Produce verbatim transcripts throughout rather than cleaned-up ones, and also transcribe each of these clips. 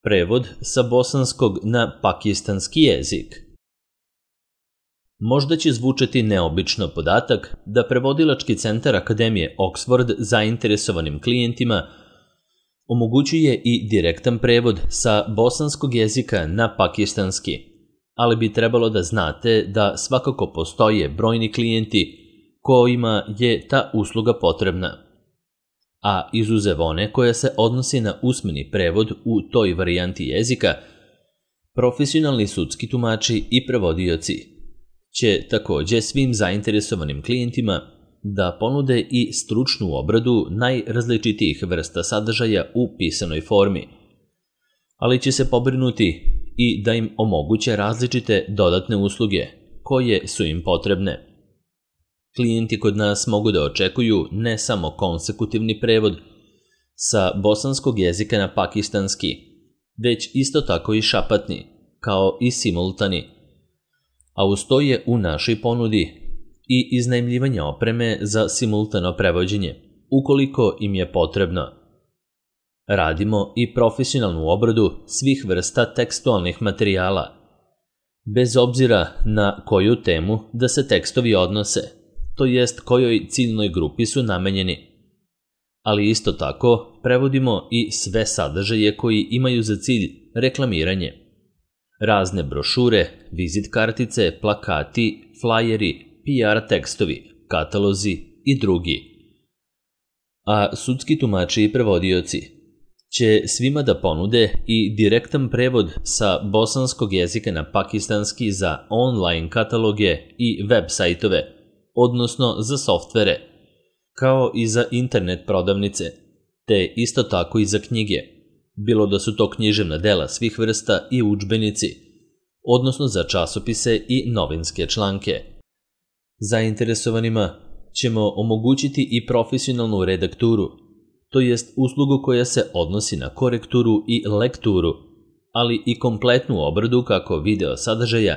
Prevod sa bosanskog na pakistanski jezik. Možda će zvučati neobično podatak da prevodilački centar Akademije Oxford zainteresovanim klijentima omogućuje i direktan prevod sa bosanskog jezika na pakistanski, ali bi trebalo da znate da svakako postoje brojni klijenti kojima je ta usluga potrebna, a izuzev one koja se odnosi na usmeni prevod u toj varijanti jezika, profesionalni sudski tumači i prevodioci će takođe svim zainteresovanim klijentima da ponude i stručnu obradu najrazličitijih vrsta sadržaja u pisanoj formi, ali će se pobrinuti i da im omoguće različite dodatne usluge koje su im potrebne. Klijenti kod nas mogu da očekuju ne samo konsekutivni prevod sa bosanskog jezika na pakistanski, već isto tako i šapatni, kao i simultani, a uz to je u našoj ponudi i iznajmljivanje opreme za simultano prevođenje, ukoliko im je potrebno. Radimo i profesionalnu obradu svih vrsta tekstualnih materijala, bez obzira na koju temu da se tekstovi odnose, to jest kojoj ciljnoj grupi su namenjeni. Ali isto tako prevodimo i sve sadržaje koji imaju za cilj reklamiranje. Razne brošure, vizit kartice, plakati, flajeri, P R tekstovi, katalozi i drugi. A sudski tumači i prevodioci će svima da ponude i direktan prevod sa bosanskog jezika na pakistanski za online kataloge i web sajtove, odnosno za softvere, kao i za internet prodavnice, te isto tako i za knjige, bilo da su to književna dela svih vrsta i udžbenici, odnosno za časopise i novinske članke. Zainteresovanima ćemo omogućiti i profesionalnu redakturu, to jest uslugu koja se odnosi na korekturu i lekturu, ali i kompletnu obradu kako video sadržaja,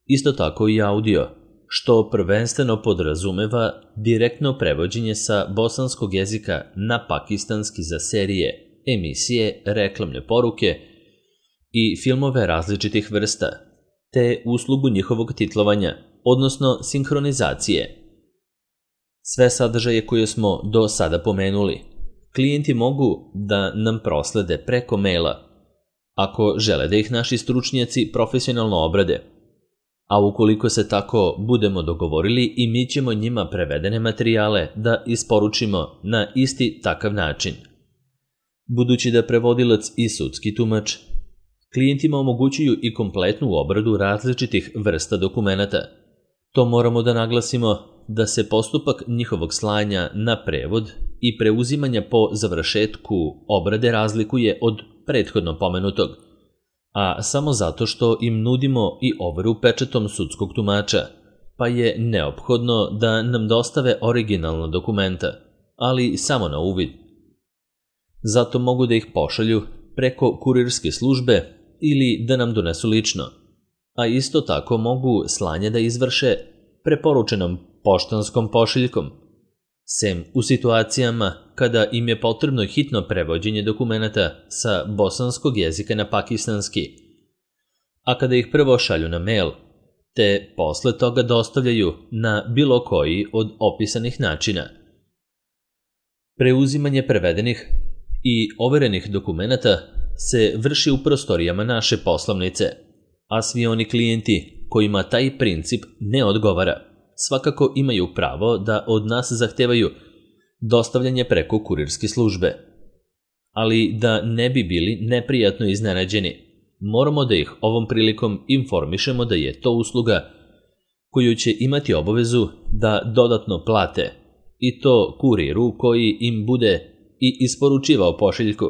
isto tako i audio, što prvenstveno podrazumeva direktno prevođenje sa bosanskog jezika na pakistanski za serije, emisije, reklamne poruke i filmove različitih vrsta, te uslugu njihovog titlovanja, odnosno sinhronizacije. Sve sadržaje koje smo do sada pomenuli, klijenti mogu da nam proslede preko maila, ako žele da ih naši stručnjaci profesionalno obrade, a ukoliko se tako budemo dogovorili i mi ćemo njima prevedene materijale da isporučimo na isti takav način. Budući da prevodilac i sudski tumač klijentima omogućuju i kompletnu obradu različitih vrsta dokumenata, to moramo da naglasimo da se postupak njihovog slanja na prevod i preuzimanja po završetku obrade razlikuje od prethodno pomenutog, a samo zato što im nudimo i overu pečatom sudskog tumača, pa je neophodno da nam dostave originalna dokumenta, ali samo na uvid. Zato mogu da ih pošalju preko kurirske službe ili da nam donesu lično, a isto tako mogu slanje da izvrše preporučenom poštanskom pošiljkom, sem u situacijama kada im je potrebno hitno prevođenje dokumenata sa bosanskog jezika na pakistanski, a kada ih prvo šalju na mail, te posle toga dostavljaju na bilo koji od opisanih načina. Preuzimanje prevedenih i overenih dokumenata se vrši u prostorijama naše poslovnice, a svi oni klijenti kojima taj princip ne odgovara, svakako imaju pravo da od nas zahtevaju dostavljanje preko kurirske službe. Ali da ne bi bili neprijatno iznenađeni, moramo da ih ovom prilikom informišemo da je to usluga koju će imati obavezu da dodatno plate, i to kuriru koji im bude i isporučivao pošiljku,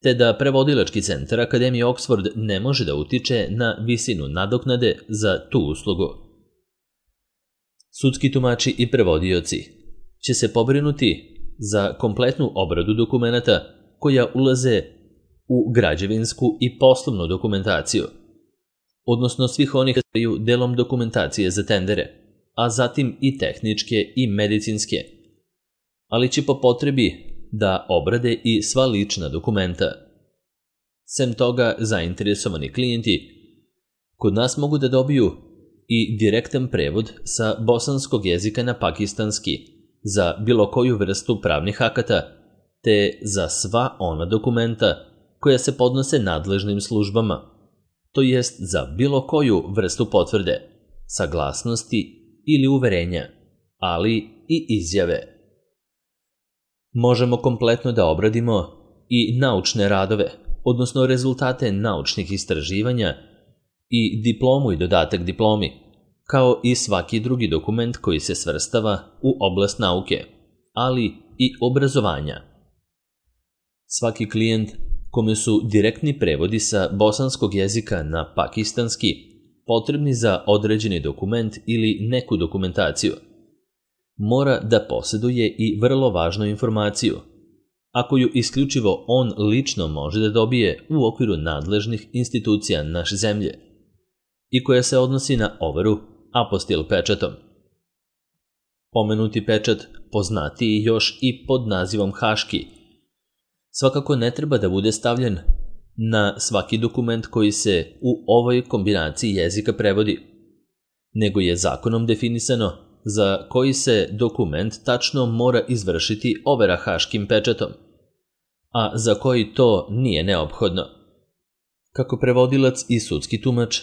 te da prevodilački centar Akademije Oxford ne može da utiče na visinu nadoknade za tu uslugu. Sudski tumači i prevodioci će se pobrinuti za kompletnu obradu dokumenata koja ulaze u građevinsku i poslovnu dokumentaciju, odnosno svih onih koji su delom dokumentacije za tendere, a zatim i tehničke i medicinske, ali će po potrebi da obrade i sva lična dokumenta. Sem toga, zainteresovani klijenti kod nas mogu da dobiju i direktan prevod sa bosanskog jezika na pakistanski za bilo koju vrstu pravnih akata, te za sva ona dokumenta koja se podnose nadležnim službama, to jest za bilo koju vrstu potvrde, saglasnosti ili uverenja, ali i izjave. Možemo kompletno da obradimo i naučne radove, odnosno rezultate naučnih istraživanja i diplomu i dodatak diplomi, kao i svaki drugi dokument koji se svrstava u oblast nauke, ali i obrazovanja. Svaki klijent kome su direktni prevodi sa bosanskog jezika na pakistanski potrebni za određeni dokument ili neku dokumentaciju, mora da posjeduje i vrlo važnu informaciju, a koju isključivo on lično može da dobije u okviru nadležnih institucija naše zemlje i koja se odnosi na overu apostil pečatom. Pomenuti pečat, poznatiji još i pod nazivom haški, svakako ne treba da bude stavljen na svaki dokument koji se u ovoj kombinaciji jezika prevodi, nego je zakonom definisano za koji se dokument tačno mora izvršiti overa haškim pečatom, a za koji to nije neophodno. Kako prevodilac i sudski tumač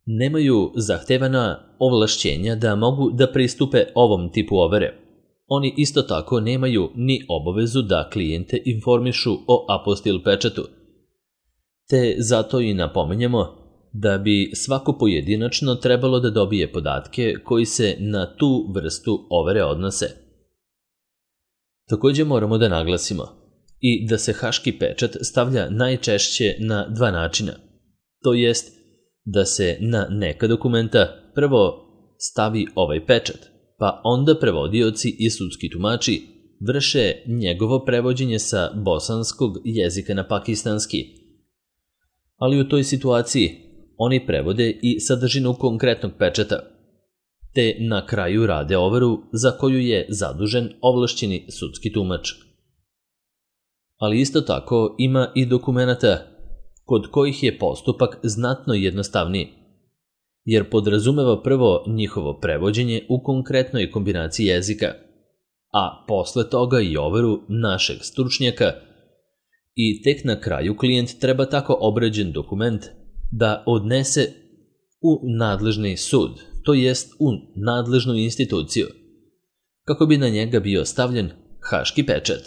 nemaju zahtevana ovlašćenja da mogu da pristupe ovom tipu overe, oni isto tako nemaju ni obavezu da klijente informišu o apostil pečatu, te zato i napominjemo da bi svako pojedinačno trebalo da dobije podatke koji se na tu vrstu overe odnose. Također moramo da naglasimo i da se haški pečat stavlja najčešće na dva načina, to jest da se na neka dokumenta prvo stavi ovaj pečat, pa onda prevodioci i sudski tumači vrše njegovo prevođenje sa bosanskog jezika na pakistanski. Ali u toj situaciji oni prevode i sadržinu konkretnog pečata, te na kraju rade overu za koju je zadužen ovlašćeni sudski tumač. Ali isto tako ima i dokumenata kod kojih je postupak znatno jednostavniji, jer podrazumeva prvo njihovo prevođenje u konkretnoj kombinaciji jezika, a posle toga i overu našeg stručnjaka, i tek na kraju klijent treba tako obrađen dokument da odnese u nadležni sud, to jest u nadležnu instituciju, kako bi na njega bio stavljen haški pečat.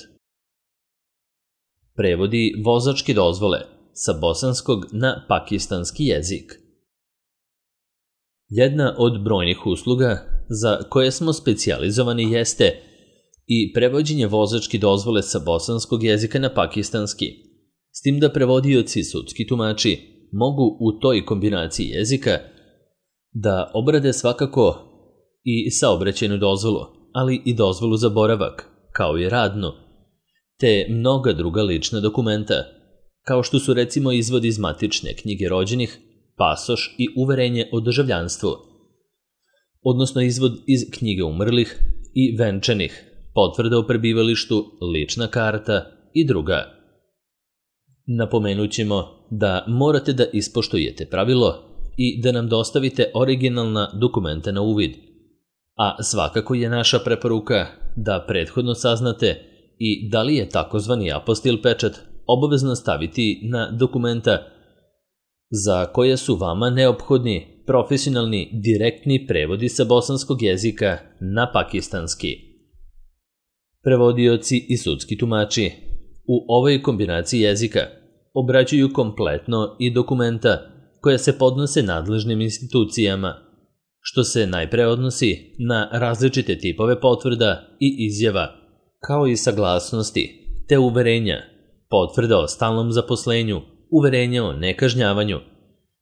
Prevodi vozačke dozvole sa bosanskog na pakistanski jezik. Jedna od brojnih usluga za koje smo specijalizovani jeste i prevođenje vozačke dozvole sa bosanskog jezika na pakistanski, s tim da prevodioci i sudski tumači mogu u toj kombinaciji jezika da obrade svakako i saobraćajnu dozvolu, ali i dozvolu za boravak, kao i radnu, te mnoga druga lična dokumenta, kao što su recimo izvod iz matične knjige rođenih, pasoš i uverenje o državljanstvu, odnosno izvod iz knjige umrlih i venčanih, potvrda o prebivalištu, lična karta i druga. Napomenut ćemo da morate da ispoštujete pravilo i da nam dostavite originalna dokumenta na uvid, a svakako je naša preporuka da prethodno saznate i da li je takozvani apostil pečat obavezno staviti na dokumenta za koje su vama neophodni profesionalni direktni prevodi sa bosanskog jezika na pakistanski. Prevodioci i sudski tumači u ovoj kombinaciji jezika obrađuju kompletno i dokumenta koja se podnose nadležnim institucijama, što se najpre odnosi na različite tipove potvrda i izjava, kao i saglasnosti, te uverenja, potvrda o stalnom zaposlenju, uverenja o nekažnjavanju,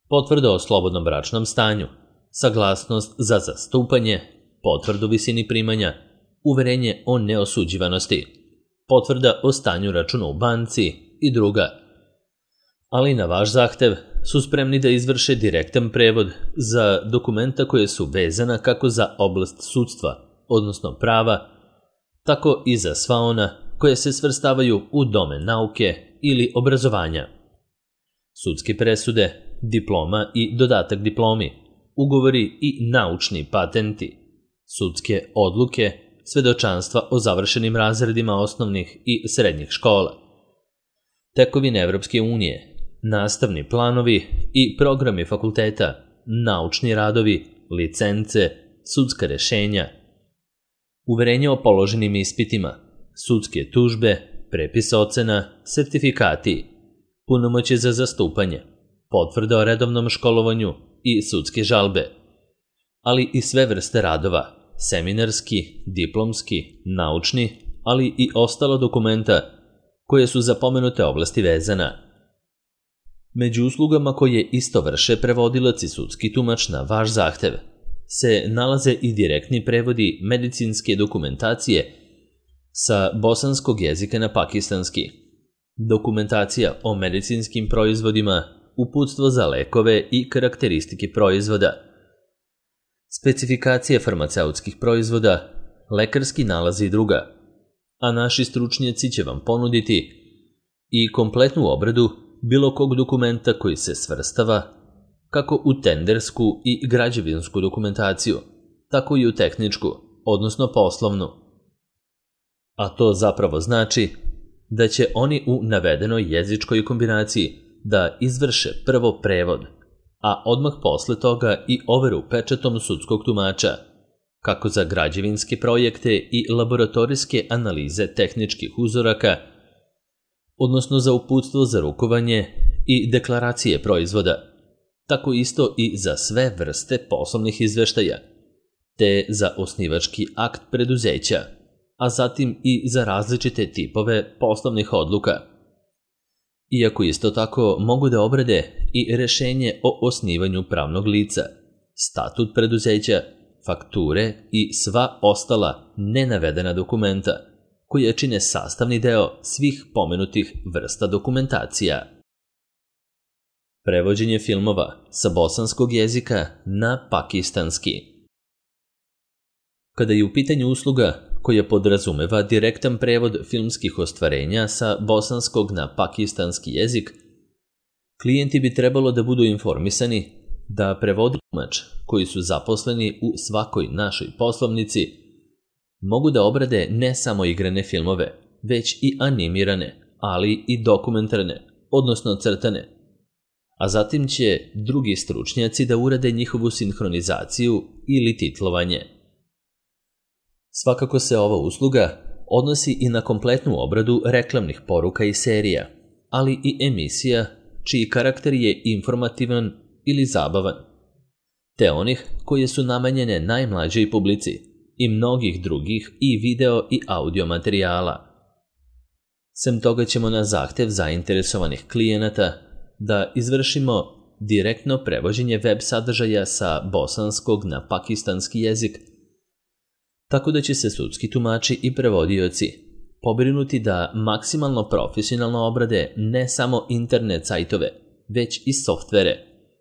potvrda o slobodnom bračnom stanju, saglasnost za zastupanje, potvrdu visini primanja, uverenje o neosuđivanosti, potvrda o stanju računa u banci i druga. Ali na vaš zahtev su spremni da izvrše direktan prevod za dokumenta koje su vezana kako za oblast sudstva, odnosno prava, tako i za sva ona koje se svrstavaju u domen nauke ili obrazovanja. sudske presude, diploma i dodatak diplomi, ugovori i naučni patenti, sudske odluke, svedočanstva o završenim razredima osnovnih i srednjih škola, tekovine Evropske unije, nastavni planovi i programi fakulteta, naučni radovi, licence, sudska rešenja, uverenje o položenim ispitima, sudske tužbe, prepis ocena, sertifikati, punomoćje za zastupanje, potvrda o redovnom školovanju i sudske žalbe, ali i sve vrste radova, seminarski, diplomski, naučni, ali i ostala dokumenta koje su za pomenute oblasti vezana. Među uslugama koje isto vrše prevodilac i sudski tumač na vaš zahtev se nalaze i direktni prevodi medicinske dokumentacije sa bosanskog jezika na pakistanski, dokumentacija o medicinskim proizvodima, uputstvo za lekove i karakteristike proizvoda, specifikacije farmaceutskih proizvoda, lekarski nalazi i druga, a naši stručnjaci će vam ponuditi i kompletnu obradu bilo kog dokumenta koji se svrstava kako u tendersku i građevinsku dokumentaciju, tako i u tehničku, odnosno poslovnu. A to zapravo znači da će oni u navedenoj jezičkoj kombinaciji da izvrše prvo prevod, a odmah posle toga i overu pečatom sudskog tumača, kako za građevinske projekte i laboratorijske analize tehničkih uzoraka, odnosno za uputstvo za rukovanje i deklaracije proizvoda, tako isto i za sve vrste poslovnih izveštaja, te za osnivački akt preduzeća, a zatim i za različite tipove poslovnih odluka. Iako isto tako mogu da obrade i rešenje o osnivanju pravnog lica, statut preduzeća, fakture i sva ostala nenavedena dokumenta, koje čine sastavni deo svih pomenutih vrsta dokumentacija. Prevođenje filmova sa bosanskog jezika na pakistanski. Kada je u pitanju usluga koja podrazumeva direktan prevod filmskih ostvarenja sa bosanskog na pakistanski jezik, klijenti bi trebalo da budu informisani da prevodilač koji su zaposleni u svakoj našoj poslovnici mogu da obrade ne samo igrane filmove, već i animirane, ali i dokumentarne, odnosno crtane, a zatim će drugi stručnjaci da urade njihovu sinhronizaciju ili titlovanje. Svakako se ova usluga odnosi i na kompletnu obradu reklamnih poruka i serija, ali i emisija čiji karakter je informativan ili zabavan, te onih koje su namenjene najmlađoj publici i mnogih drugih i video i audio materijala. Sem toga ćemo na zahtev zainteresovanih klijenata da izvršimo direktno prevođenje web sadržaja sa bosanskog na pakistanski jezik, tako da će se sudski tumači i prevodioci pobrinuti da maksimalno profesionalno obrade ne samo internet sajtove, već i softvere,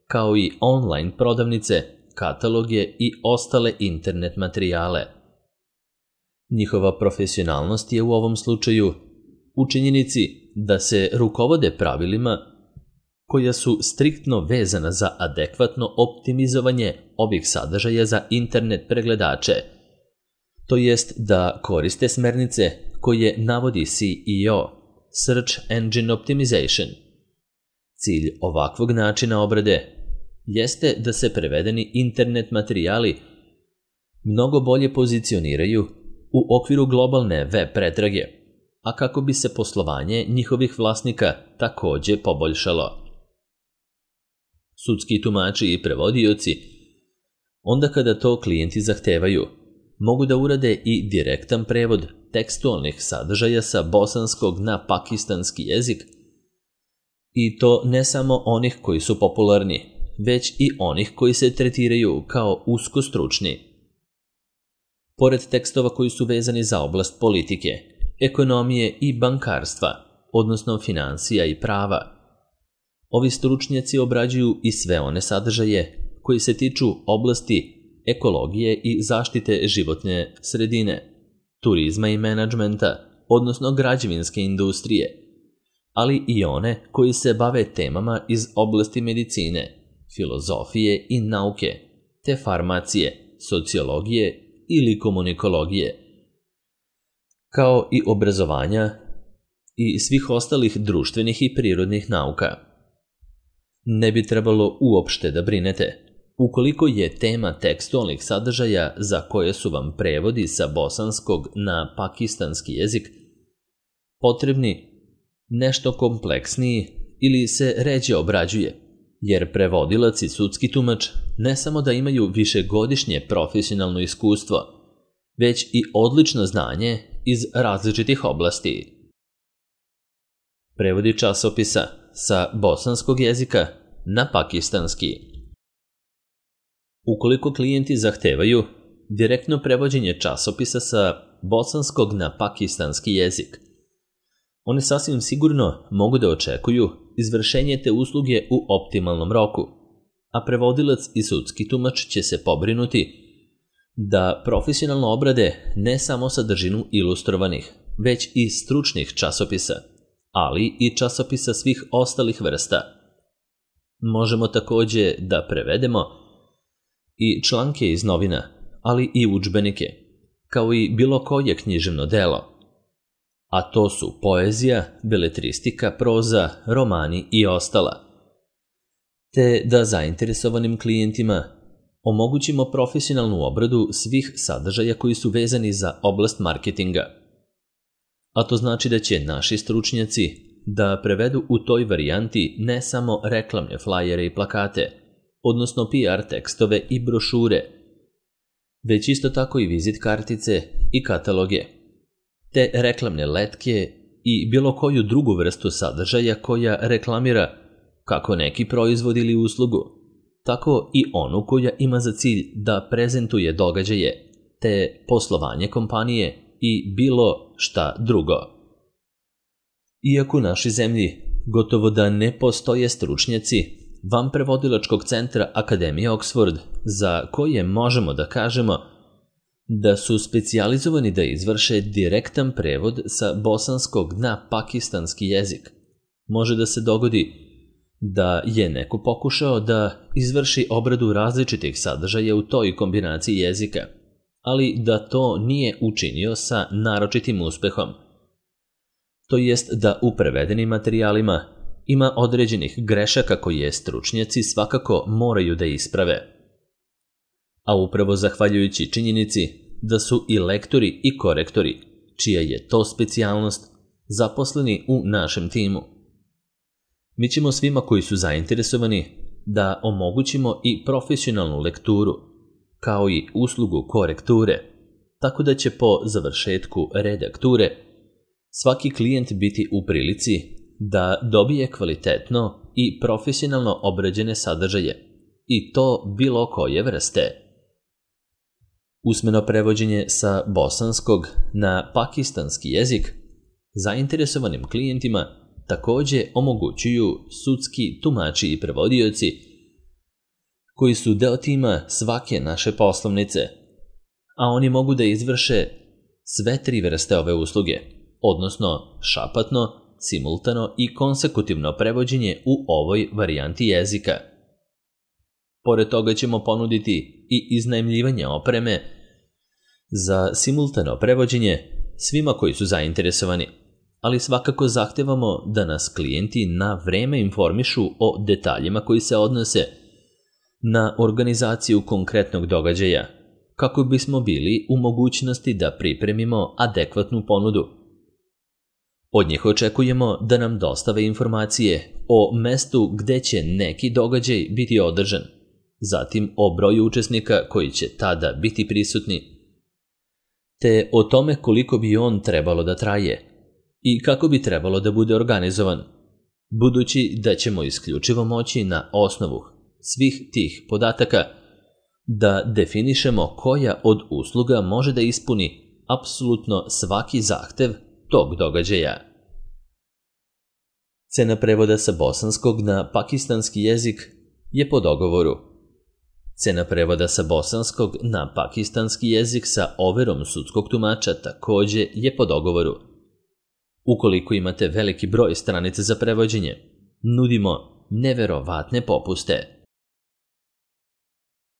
kao i online prodavnice, kataloge i ostale internet materijale. Njihova profesionalnost je u ovom slučaju u činjenici da se rukovode pravilima koja su striktno vezana za adekvatno optimizovanje ovih sadržaja za internet pregledače, to jest da koriste smernice koje navodi C E O, Search Engine Optimization. Cilj ovakvog načina obrade jeste da se prevedeni internet materijali mnogo bolje pozicioniraju u okviru globalne web pretrage, a kako bi se poslovanje njihovih vlasnika takođe poboljšalo. Sudski tumači i prevodioci, onda kada to klijenti zahtevaju, mogu da urade i direktan prevod tekstualnih sadržaja sa bosanskog na pakistanski jezik, i to ne samo onih koji su popularni, već i onih koji se tretiraju kao usko stručni. Pored tekstova koji su vezani za oblast politike, ekonomije i bankarstva, odnosno financija i prava, ovi stručnjaci obrađuju i sve one sadržaje koji se tiču oblasti ekologije i zaštite životne sredine, turizma i menadžmenta, odnosno građevinske industrije, ali i one koji se bave temama iz oblasti medicine, filozofije i nauke, te farmacije, sociologije ili komunikologije, kao i obrazovanja i svih ostalih društvenih i prirodnih nauka. Ne bi trebalo uopšte da brinete ukoliko je tema tekstualnih sadržaja za koje su vam prevodi sa bosanskog na pakistanski jezik potrebni nešto kompleksniji ili se ređe obrađuje, jer prevodilac i sudski tumač ne samo da imaju višegodišnje profesionalno iskustvo, već i odlično znanje iz različitih oblasti. Prevodi časopisa sa bosanskog jezika na pakistanski. Ukoliko klijenti zahtevaju direktno prevođenje časopisa sa bosanskog na pakistanski jezik, oni sasvim sigurno mogu da očekuju izvršenje te usluge u optimalnom roku, a prevodilac i sudski tumač će se pobrinuti da profesionalno obrade ne samo sadržinu ilustrovanih, već i stručnih časopisa, ali i časopisa svih ostalih vrsta. Možemo takođe da prevedemo i članke iz novina, ali i udžbenike, kao i bilo koje književno delo, a to su poezija, beletristika, proza, romani i ostala, te da zainteresovanim klijentima omogućimo profesionalnu obradu svih sadržaja koji su vezani za oblast marketinga. A to znači da će naši stručnjaci da prevedu u toj varijanti ne samo reklamne flajere i plakate, odnosno P R tekstove i brošure, već isto tako i vizit kartice i kataloge, te reklamne letke i bilo koju drugu vrstu sadržaja koja reklamira kako neki proizvod ili uslugu, tako i onu koja ima za cilj da prezentuje događaje, te poslovanje kompanije i bilo šta drugo. Iako u našoj zemlji gotovo da ne postoje stručnjaci van prevodilačkog centra Akademije Oxford za koje možemo da kažemo da su specijalizovani da izvrše direktan prevod sa bosanskog na pakistanski jezik, može da se dogodi da je neko pokušao da izvrši obradu različitih sadržaja u toj kombinaciji jezika, ali da to nije učinio sa naročitim uspehom. To jest da u prevedenim materijalima ima određenih grešaka koje stručnjaci svakako moraju da isprave. A upravo zahvaljujući činjenici da su i lektori i korektori, čija je to specijalnost, zaposleni u našem timu. Mi ćemo svima koji su zainteresovani da omogućimo i profesionalnu lekturu, kao i uslugu korekture, tako da će po završetku redakture svaki klijent biti u prilici da dobije kvalitetno i profesionalno obrađene sadržaje, i to bilo koje vrste. Usmeno prevođenje sa bosanskog na pakistanski jezik zainteresovanim klijentima takođe omogućuju sudski tumači i prevodioci koji su deo tima svake naše poslovnice, a oni mogu da izvrše sve tri vrste ove usluge, odnosno šapatno, simultano i konsekutivno prevođenje u ovoj varijanti jezika. Pored toga ćemo ponuditi i iznajmljivanje opreme za simultano prevođenje svima koji su zainteresovani, ali svakako zahtevamo da nas klijenti na vreme informišu o detaljima koji se odnose na organizaciju konkretnog događaja, kako bismo bili u mogućnosti da pripremimo adekvatnu ponudu. Od njih očekujemo da nam dostave informacije o mestu gde će neki događaj biti održan, zatim o broju učesnika koji će tada biti prisutni, te o tome koliko bi on trebalo da traje i kako bi trebalo da bude organizovan, budući da ćemo isključivo moći na osnovu svih tih podataka da definišemo koja od usluga može da ispuni apsolutno svaki zahtev tog događaja. Cena prevoda sa bosanskog na pakistanski jezik je po dogovoru. Cena prevoda sa bosanskog na pakistanski jezik sa overom sudskog tumača takođe je po dogovoru. Ukoliko imate veliki broj stranica za prevođenje, nudimo neverovatne popuste.